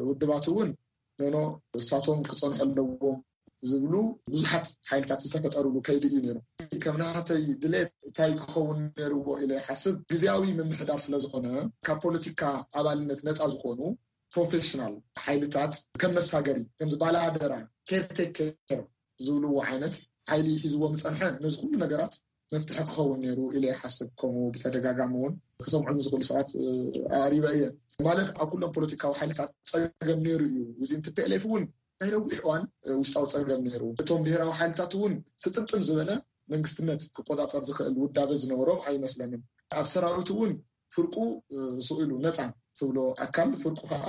ውድባት እውን ኖኖ እሳቶም ክፀንሑ ኣለዎም ዝብሉ ብዙሓት ሓይልታት ዝተፈጠሩሉ ከይዲ እዩ ነይሩ። ከም ናተይ ድሌት እንታይ ክኸውን ነይርዎ ኢለ ይሓስብ ግዜያዊ ምምሕዳር ስለዝኾነ ካብ ፖለቲካ ኣባልነት ነፃ ዝኾኑ ፕሮፌሽናል ሓይልታት ከም መሳገሪ ከምዚ ባለኣደራ ኬርቴከር ዝብልዎ ዓይነት ሓይሊ ሒዝዎ ምፀንሐ ነዚ ኩሉ ነገራት መፍትሒ ክኸውን ነይሩ ኢለ ይሓስብ። ከምኡ ብተደጋጋሚ እውን ክሰምዑ ዝኽእሉ ሰባት ኣሪበ እየ ማለት ኣብ ኩሎም ፖለቲካዊ ሓይልታት ፀገም ነይሩ እዩ። እዚ ቲ ፒ ኤል ኤፍ እውን ናይ ነዊሕ እዋን ውሽጣዊ ፀገም ነይሩ። እቶም ብሄራዊ ሓይልታት እውን ስጥምጥም ዝበለ መንግስትነት ክቆፃፀር ዝኽእል ውዳበ ዝነበሮም ኣይመስለንን። ኣብ ሰራዊት እውን ፍርቁ ስኢሉ ነፃ ትብሎ ኣካል ፍርቁ ከዓ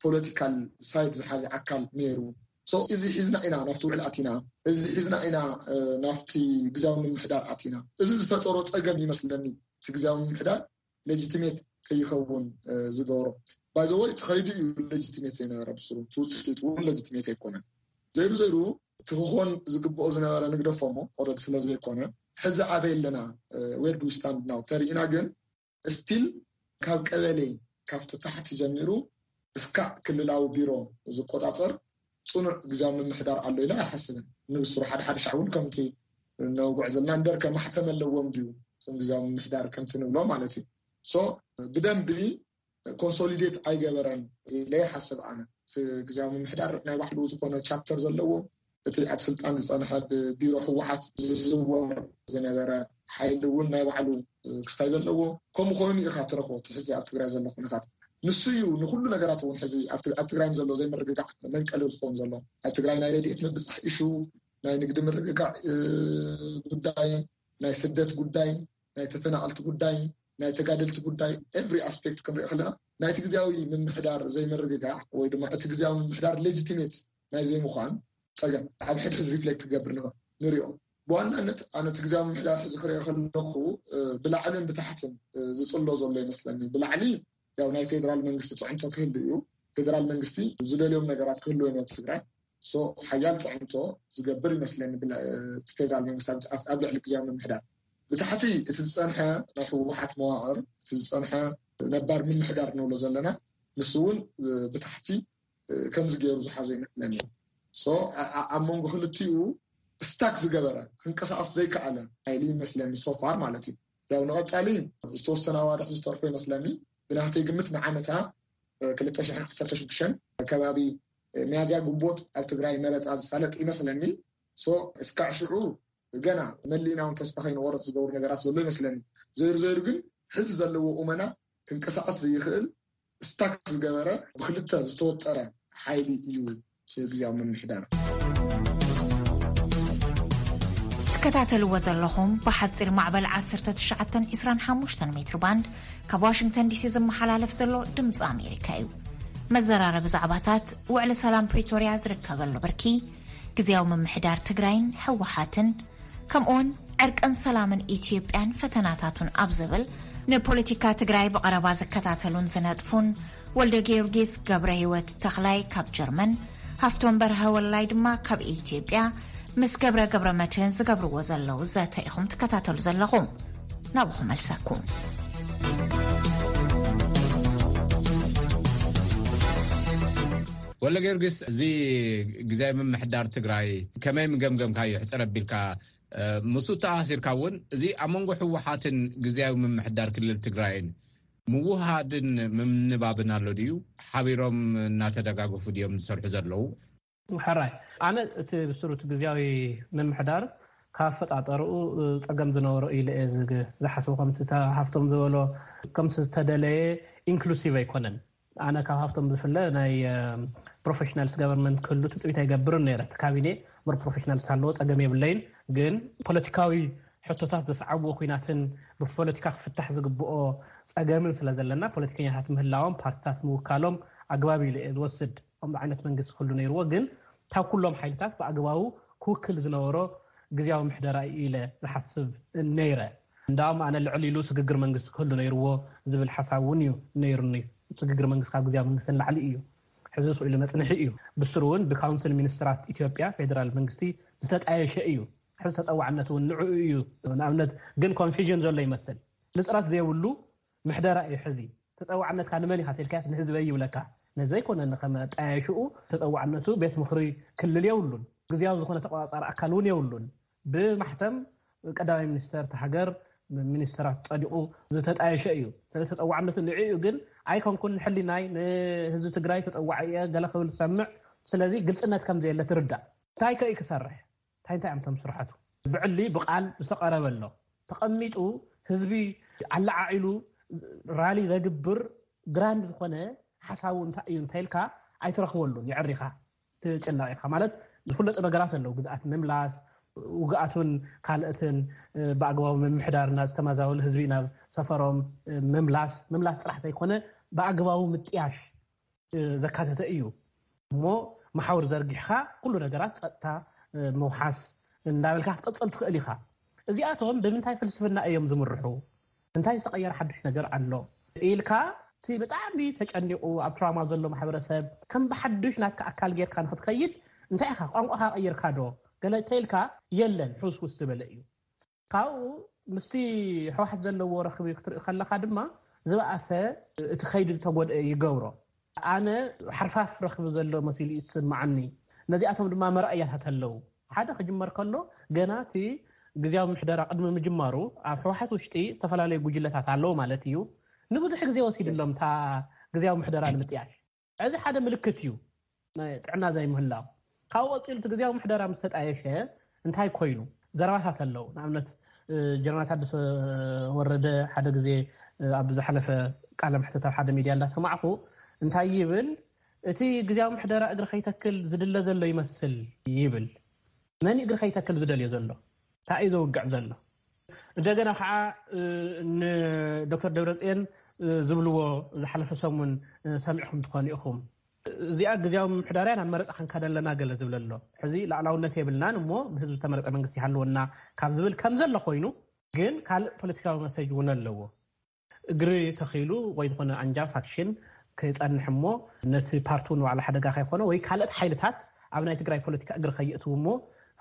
ፖለቲካል ሳይድ ዝሓዘ ኣካል ነይሩ። እዚ ሒዝና ኢና ናብቲ ውዕል ኣቲና፣ እዚ ሒዝና ኢና ናብቲ ግዜያዊ ምምሕዳር ኣቲና። እዚ ዝፈጠሮ ፀገም ይመስለኒ እቲ ግዜያዊ ምምሕዳር ሌጂቲሜት ከይኸውን ዝገብሮ። ባይዘወይ ትኸይዱ እዩ ሌጂቲሜት ዘይነበረ ብስሩ ትውፅኢት እውን ሌጂቲሜት ኣይኮነን። ዘይሩ ዘይሩ እቲ ክኾን ዝግብኦ ዝነበረ ንግደፎ ሞ ኦረድ ስለ ዘይኮነ ሕዚ ኣበይ ኣለና ዌር ዱ ስታንድ ናው ተሪእና ግን ስቲል ካብ ቀበሌ ካብቲ ታሕቲ ጀሚሩ እስካዕ ክልላዊ ቢሮ ዝቆፃፀር ፅኑዕ ግዜያዊ ምምሕዳር ኣሎ ኢለ ኣይሓስብን። ንብስሩ ሓደ ሓደ ሻዕ እውን ከምቲ ነውግዕ ዘለና እምበር ከማሕተም ኣለዎም ድዩ እቶም ግዜያዊ ምምሕዳር ከምቲ ንብሎ ማለት እዩ። ሶ ብደንቢ ኮንሶሊዴት ኣይገበረን ኢለ ይሓስብ ኣነ። እቲ ግዜያዊ ምምሕዳር ናይ ባዕሉ ዝኾነ ቻፕተር ዘለዎ እቲ ኣብ ስልጣን ዝፀንሐ ብቢሮ ህወሓት ዝዝወር ዝነበረ ሓይሊ እውን ናይ ባዕሉ ክስታይ ዘለዎ ከምኡ ኮይኑ ኢኻ ትረኽቦ እቲ ሕዚ ኣብ ትግራይ ዘሎ ኩነታት ንሱ እዩ ንኩሉ ነገራት እውን ሕዚ ኣብ ትግራይ ዘሎ ዘይምርግጋዕ መንቀሊ ዝኸውን ዘሎ ኣብ ትግራይ ናይ ረድኤት ምብፃሕ ኢሹ ናይ ንግዲ ምርግጋዕ ጉዳይ ናይ ስደት ጉዳይ ናይ ተፈናቀልቲ ጉዳይ ናይ ተጋደልቲ ጉዳይ every aspect ክንሪኦ ከለና ናይቲ ግዜያዊ ምምሕዳር ዘይምርግጋዕ ወይ ድማ እቲ ግዜያዊ ምምሕዳር ሌጂቲሜት ናይ ዘይምኳን ፀገም ኣብ ሕድሕድ ሪፍሌክት ክገብር ንሪኦ። ብዋናነት ኣነ እቲ ግዜያዊ ምምሕዳር ሕዚ ክሪኦ ከለኹ ብላዕልን ብታሕትን ዝፅሎ ዘሎ ይመስለኒ። ብላዕሊ ያው ናይ ፌደራል መንግስቲ ፅዕንቶ ክህሉ እዩ። ፌደራል መንግስቲ ዝደልዮም ነገራት ክህልዎ እዮም ኣብ ትግራይ ሓያል ፅዕንቶ ዝገብር ይመስለኒ ፌደራል መንግስቲ ኣብ ልዕሊ ግዜያዊ ምምሕዳር። ብታሕቲ እቲ ዝፀንሐ ናይ ህወሓት መዋቕር እቲ ዝፀንሐ ነባር ምምሕዳር ንብሎ ዘለና ንሱ እውን ብታሕቲ ከምዚ ገይሩ ዝሓዞ ይመስለኒ። ኣብ መንጎ ክልቲኡ ስታክ ዝገበረ ክንቀሳቀስ ዘይከኣለ ሓይሊ ይመስለኒ ሶፋር ማለት እዩ። ያው ንቐፃሊ ዝተወሰነ ኣዋርሕ ዝተርፎ ይመስለኒ ብናተይ ግምት ንዓመታ ክልተ ሽሕን ዓሰርተ ሽዱሽተን ከባቢ ሚያዝያ ግንቦት ኣብ ትግራይ መረፃ ዝሳለጥ ይመስለኒ። እስካዕ ሽዑ ገና መሊእና እውን ተስፋ ከይንቆረፅ ዝገብሩ ነገራት ዘሎ ይመስለኒ። ዘይሩ ዘይሩ ግን ሕዚ ዘለዎ ቁመና ክንቀሳቀስ ዘይኽእል ስታክ ዝገበረ ብክልተ ዝተወጠረ ሓይሊ እዩ ግዜያዊ ምምሕዳር። ትከታተልዎ ዘለኹም ብሓፂር ማዕበል ዓሰርተ ትሽዓተን ዕስራን ሓሙሽተን ሜትር ባንድ ካብ ዋሽንግተን ዲሲ ዝመሓላለፍ ዘሎ ድምፂ ኣሜሪካ እዩ። መዘራረቢ ዛዕባታት ውዕሊ ሰላም ፕሪቶርያ ዝርከበሉ ብርኪ፣ ግዜያዊ ምምሕዳር ትግራይን ህወሓትን ከምኡውን ዕርቅን ሰላምን ኢትዮጵያን ፈተናታቱን ኣብ ዝብል ንፖለቲካ ትግራይ ብቐረባ ዝከታተሉን ዝነጥፉን ወልደ ጊዮርጊስ ገብረ ህይወት ተኽላይ ካብ ጀርመን፣ ሃፍቶም በርሀ ወላይ ድማ ካብ ኢትዮጵያ ምስ ገብረ ገብረ መድህን ዝገብርዎ ዘለዉ ዘተ ኢኹም ትከታተሉ ዘለኹም። ናብኹም መልሰኩም። ወለ ጊዮርጊስ፣ እዚ ግዜ ምምሕዳር ትግራይ ከመይ ምገምገምካዮ? ሕፅር ኣቢልካ ምስ ተኣሲርካ እውን እዚ ኣብ መንጎ ህወሓትን ግዜያዊ ምምሕዳር ክልል ትግራይን ምውሃድን ምምንባብን ኣሎ ድዩ? ሓቢሮም እናተደጋገፉ ድዮም ዝሰርሑ ዘለዉ? ሕራይ፣ ኣነ እቲ ብስሩ እቲ ግዜያዊ ምምሕዳር ካብ ኣፈጣጠርኡ ፀገም ዝነበሮ ኢለ እየ ዝሓስቡ። ከምቲ ሃፍቶም ዝበሎ ከምቲ ዝተደለየ ኢንክሉሲቭ ኣይኮነን። ኣነ ካብ ሃፍቶም ዝፍለ ናይ ፕሮፌሽናልስ ገቨርንመንት ክህሉ ትፅቢት ኣይገብርን ነይረ። እቲ ካቢኔ ሞር ፕሮፌሽናልስ ኣለዎ ፀገም የብለይን። ግን ፖለቲካዊ ሕቶታት ዘስዓብዎ ኩናትን ብፖለቲካ ክፍታሕ ዝግብኦ ጸገምን ስለ ዘለና፣ ፖለቲከኛታት ምህላዎም፣ ፓርቲታት ምውካሎም ኣግባብ ኢሉ እየ ዝወስድ። ከምዚ ዓይነት መንግስቲ ክህሉ ነይርዎ፣ ግን ካብ ኩሎም ሓይልታት ብኣግባቡ ክውክል ዝነበሮ ግዝያዊ ምሕደራ እዩ ኢለ ዝሓስብ ነይረ። እንዳውም ኣነ ልዕል ኢሉ ስግግር መንግስቲ ክህሉ ነይርዎ ዝብል ሓሳብ እውን እዩ ነይሩኒ። ስግግር መንግስቲ ካብ ግዝያዊ መንግስቲ ንላዕሊ እዩ። ሕዚ ስኢሉ መጽንሒ እዩ። ብስሩ እውን ብካውንስል ሚኒስትራት ኢትዮጵያ ፌደራል መንግስቲ ዝተጣየሸ እዩ። ሕዚ ተጸዋዕነት እውን ንዕኡ እዩ። ንኣብነት ግን ኮንፊዥን ዘሎ ይመስል። ንጽረት ዘይብሉ ምሕደራ እዩ ሕዚ። ተጸዋዕነትካ ንመን ኢኻ ተልካያስ ንህዝበይ ይብለካ። ነዚ ዘይኮነ ንኸመጣየሽኡ ተጸዋዕነቱ ቤት ምኽሪ ክልል የብሉን። ግዝያዊ ዝኾነ ተቆጻጻሪ ኣካል እውን የብሉን። ብማሕተም ቀዳማይ ሚኒስተር እቲ ሃገር ሚኒስተራት ጸዲቑ ዝተጣየሸ እዩ። ስለ ተጸዋዕነቱ ንዕኡ ግን ኣይኮንኩን ንሕሊናይ ንህዝቢ ትግራይ ተጸዋዒ እየ ገለ ክብል ዝሰምዕ። ስለዚ ግልጽነት ከም ዘየለ ትርዳእ። እንታይ ከ እዩ ክሰርሕ? እንታይ እንታይ እዮም እቶም ስራሓቱ? ብዕሊ ብቃል ዝተቐረበ ኣሎ። ተቐሚጡ ህዝቢ ኣለዓዒሉ ራሊ ዘግብር ግራንድ ዝኾነ ሓሳቡ እንታይ እዩ እንተኢልካ ኣይትረኽበሉን። የዕሪኻ ትጨነቕ ኢኻ። ማለት ዝፍለጡ ነገራት ኣለዉ። ግዝኣት ምምላስ፣ ውግኣቱን ካልእትን ብኣግባቡ ምምሕዳርና ዝተመዛበሉ ህዝቢ ናብ ሰፈሮም ምምላስ፣ ምምላስ ጥራሕ ዘይኮነ ብኣግባቡ ምጥያሽ ዘካተተ እዩ። እሞ መሓውር ዘርጊሕካ ኩሉ ነገራት ጸጥታ ምውሓስ እንዳበልካ ክትቀጽል ትኽእል ኢኻ። እዚኣቶም ብምንታይ ፍልስፍና እዮም ዝምርሑ? እንታይ ዝተቐየረ ሓድሽ ነገር ኣሎ ኢልካ፣ እቲ ብጣዕሚ ተጨኒቑ ኣብ ትራማ ዘሎ ማሕበረሰብ ከም ብሓድሽ ናትካ ኣካል ጌርካ ንክትከይድ እንታይ ኢኻ ቋንቋኻ ቀይርካ ዶ ገለ ተኢልካ? የለን፣ ሕውስውስ ዝበለ እዩ። ካብኡ ምስቲ ህወሓት ዘለዎ ረኽቢ ክትርኢ ከለኻ ድማ ዝበኣሰ እቲ ከይዲ ዝተጎድአ ይገብሮ። ኣነ ሓርፋፍ ረኽቢ ዘሎ መሲሉ እዩ ዝስምዓኒ። ነዚኣቶም ድማ መርኣያታት ኣለዉ። ሓደ ክጅመር ከሎ ገና እቲ ግዝያዊ ምሕደራ ቅድሚ ምጅማሩ ኣብ ህወሓት ውሽጢ ዝተፈላለዩ ጉጅለታት ኣለዉ ማለት እዩ። ንብዙሕ ግዜ ወሲድሎም እታ ግዝያዊ ምሕደራ ንምጥያሽ። እዚ ሓደ ምልክት እዩ ናይ ጥዕና ዘይምህላው። ካብኡ ቀፂሉ እቲ ግዝያዊ ምሕደራ ምስ ተጣየሸ እንታይ ኮይኑ? ዘረባታት ኣለዉ። ንኣብነት ጀነራል ታደሰ ወረደ ሓደ ግዜ ኣብ ዝሓለፈ ቃለ መሕተት ኣብ ሓደ ሚድያ እንዳሰማዕኹ እንታይ ይብል? እቲ ግዝያዊ ምሕደራ እግሪ ከይተክል ዝድለ ዘሎ ይመስል ይብል። መን እግሪ ከይተክል ዝደልዮ ዘሎ? እንታይ እዩ ዘውግዕ ዘሎ? እንደገና ከዓ ንዶክተር ደብረፅዮን ዝብልዎ ዝሓለፈ ሰሙን ሰሚዕኹም ትኾኑ ኢኹም። እዚኣ ግዝያዊ ምምሕዳርያ ናብ መረፃ ክንከደለና ገለ ዝብል ኣሎ። ሕዚ ላዕላውነት የብልናን እሞ ብህዝቢ ዝተመረፀ መንግስቲ ይሃልወና ካብ ዝብል ከም ዘሎ ኮይኑ፣ ግን ካልእ ፖለቲካዊ መሰጅ እውን ኣለዎ። እግሪ ተኺሉ ወይ ዝኾነ ኣንጃ ፋክሽን ከይጸንሕ እሞ ነቲ ፓርቱ ንባዕሉ ሓደጋ ከይኮነ ወይ ካልኦት ሓይልታት ኣብ ናይ ትግራይ ፖለቲካ እግሪ ከይእትው እሞ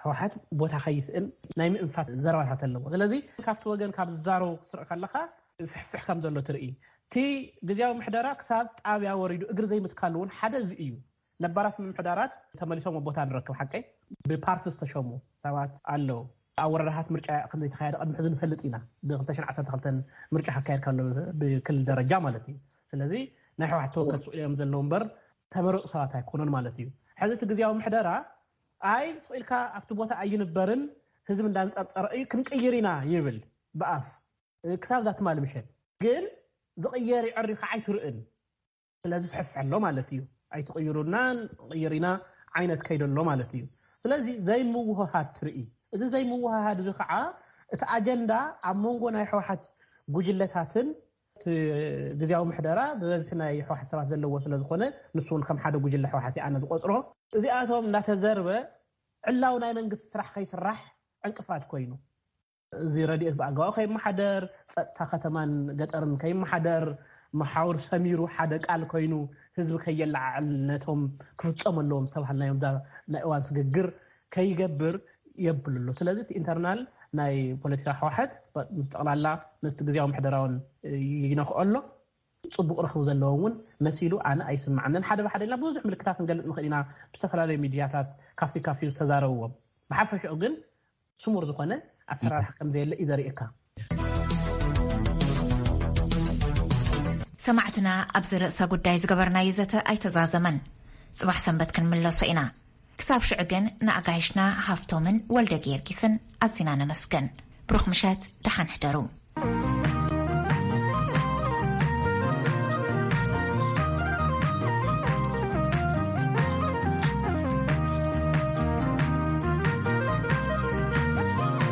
ህወሓት ቦታ ከይስእን ናይ ምእንፋት ዘረባታት ኣለዎ። ስለዚ ካብቲ ወገን ካብ ዝዛረቡ ክትርኢ ከለኻ ፍሕፍሕ ከም ዘሎ ትርኢ። እቲ ግዝያዊ ምሕደራ ክሳብ ጣብያ ወሪዱ እግሪ ዘይምትካሉ እውን ሓደ እዚ እዩ። ነባራት ምምሕዳራት ተመሊሶም ኣብ ቦታ ንረክብ ሓቀይ ብፓርቲ ዝተሸሙ ሰባት ኣለዉ። ኣብ ወረዳታት ምርጫ ከም ዘይተኻየደ ቅድሚ ሕዚ ንፈልጥ ኢና። ብ2012 ምርጫ ክካየድ ከሎ ብክልል ደረጃ ማለት እዩ። ስለዚ ናይ ህወሓት ተወከልቲ ስቕ ኢሎም ዘለዉ እምበር ተመረፁ ሰባት ኣይኮኑን ማለት እዩ። ሕዚ እቲ ግዝያዊ ምሕደራ ኣይ ስቕ ኢልካ ኣብቲ ቦታ ኣይንበርን ህዝቢ እንዳንፀርፀረ እዩ ክንቅይር ኢና ይብል ብኣፍ ክሳብ ዛትማሊ ምሸት ግን ዝቕየር ይዕሪ ከዓ ኣይትርእን። ስለዚ ፍሕፍሕ ኣሎ ማለት እዩ። ኣይትቕይሩናን ቅይር ኢና ዓይነት ከይደ ኣሎ ማለት እዩ። ስለዚ ዘይምውህሃድ ትርኢ። እዚ ዘይምውህሃድ እዚ ከዓ እቲ ኣጀንዳ ኣብ መንጎ ናይ ህወሓት ጉጅለታትን እቲ ግዝያዊ ምሕደራ ብበዝሒ ናይ ህወሓት ሰባት ዘለዎ ስለ ዝኾነ ንሱ እውን ከም ሓደ ጉጅለ ህወሓት ኣነ ዝቆፅሮ እዚኣቶም እንዳተዘርበ ዕላው ናይ መንግስቲ ስራሕ ከይስራሕ ዕንቅፋት ኮይኑ እዚ ረድኤት ብኣግባቡ ከይመሓደር፣ ፀጥታ ከተማን ገጠርን ከይመሓደር፣ መሓውር ሰሚሩ ሓደ ቃል ኮይኑ ህዝቢ ከየለዓዕል ነቶም ክፍፀሙ ኣለዎም ዝተባሃልናዮም ናይ እዋን ስግግር ከይገብር የብል ኣሎ። ስለዚ እቲ ኢንተርናል ናይ ፖለቲካ ህወሓት ምስ ጠቕላላ ምስቲ ግዝያዊ ምሕደራውን ይነኽኦ ኣሎ። ፅቡቕ ረኽቢ ዘለዎ እውን መሲሉ ኣነ ኣይስምዓንን። ሓደ ብሓደ ኢልና ብዙሕ ምልክታት ክንገልፅ ንኽእል ኢና ብዝተፈላለዩ ሚድያታት ካፍቲ ካፍቲ ዝተዛረብዎም። ብሓፈሽኡ ግን ስሙር ዝኾነ ኣሰራርሓ ከም ዘየለ እዩ ዘርእየካ። ሰማዕትና ኣብዚ ርእሰ ጉዳይ ዝገበርናዮ ዘተ ኣይተዛዘመን። ፅባሕ ሰንበት ክንምለሶ ኢና። ክሳብ ሽዑ ግን ንኣጋይሽና ሃፍቶምን ወልደ ጊዮርጊስን ኣዚና ነመስግን። ብሩኽ ምሸት፣ ደሓን ሕደሩ።